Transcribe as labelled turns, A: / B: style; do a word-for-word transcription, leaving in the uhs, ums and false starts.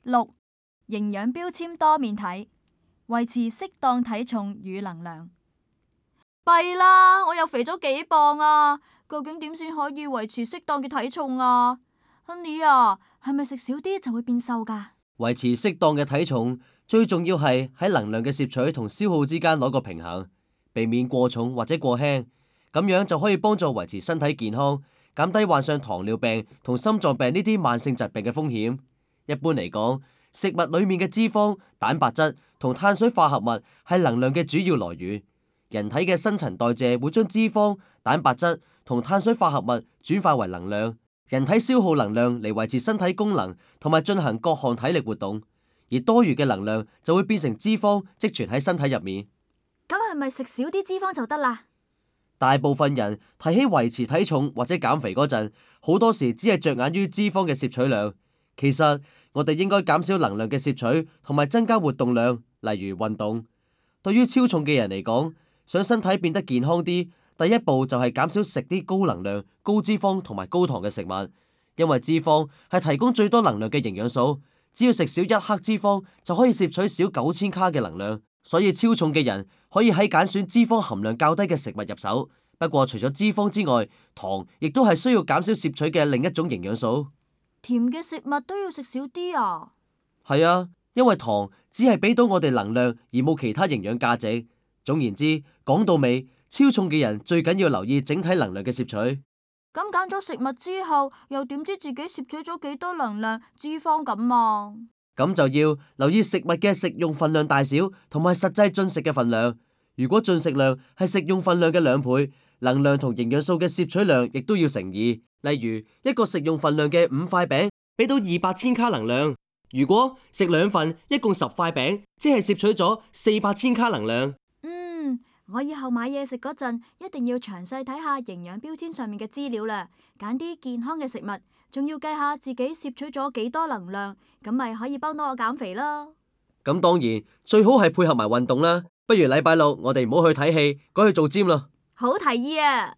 A: 六、營養標籤多面睇，維持適當體重與能量。弊啦，我又肥咗幾磅啊！究竟點先可以維持適當嘅體重啊？Honey 啊，係咪食少啲就會變瘦噶？
B: 維持適當嘅體重，最重要係喺能量嘅攝取同消耗之間攞個平衡，避免過重或者過輕，咁樣就可以幫助維持身體健康，減低患上糖尿病同心臟病呢啲慢性疾病嘅風險。一般嚟講，食物裏面嘅脂肪、蛋白質同碳水化合物係能量嘅主要來源。人體嘅新陳代謝會將脂肪、蛋白質同碳水化合物轉化為能量。人體消耗能量嚟維持身體功能同埋進行各項體力活動，而多餘嘅能量就會變成脂肪積存喺身體入面。
A: 咁係咪食少啲脂肪就得啦？
B: 大部分人提起維持體重或者減肥嗰陣，好多時只係着眼於脂肪嘅攝取量。其實我哋應該減少能量嘅攝取，同埋增加活動量，例如運動。對於超重嘅人嚟講，想身體變得健康啲，第一步就係減少食啲高能量、高脂肪同埋高糖嘅食物，因為脂肪係提供最多能量嘅營養素，只要食少一克脂肪就可以攝取少九千卡嘅能量，所以超重嘅人可以喺揀選脂肪含量較低嘅食物入手。不過除咗脂肪之外，糖亦都係需要減少攝取嘅另一種營養素。
A: 甜嘅食物都要食少啲啊？
B: 係啊，因為糖只係俾到我哋能量而冇其他營養價值。總言之，講到尾，超重嘅人最緊要留意整體能量嘅攝取。
A: 咁揀咗食物之後，又點知自己攝取咗幾多能量、脂肪咁啊？
B: 咁就要留意食物嘅食用份量大小，同埋實際進食嘅份量。如果進食量係食用份量嘅兩倍，能量同營養素嘅攝取量亦都要乘二。例如一個食用份量嘅五塊餅，俾到二百千卡能量。如果食兩份，一共十塊餅，即係攝取咗四百千卡能量。
A: 嗯，我以後買嘢食嗰陣，一定要詳細睇下營養標籤上面嘅資料啦，揀啲健康嘅食物，仲要計下自己攝取咗幾多能量，咁咪可以幫到我減肥啦。
B: 咁當然最好係配合埋運動啦。不如禮拜六我哋唔好去睇戲，改去做 gym 啦。
A: 好提議啊！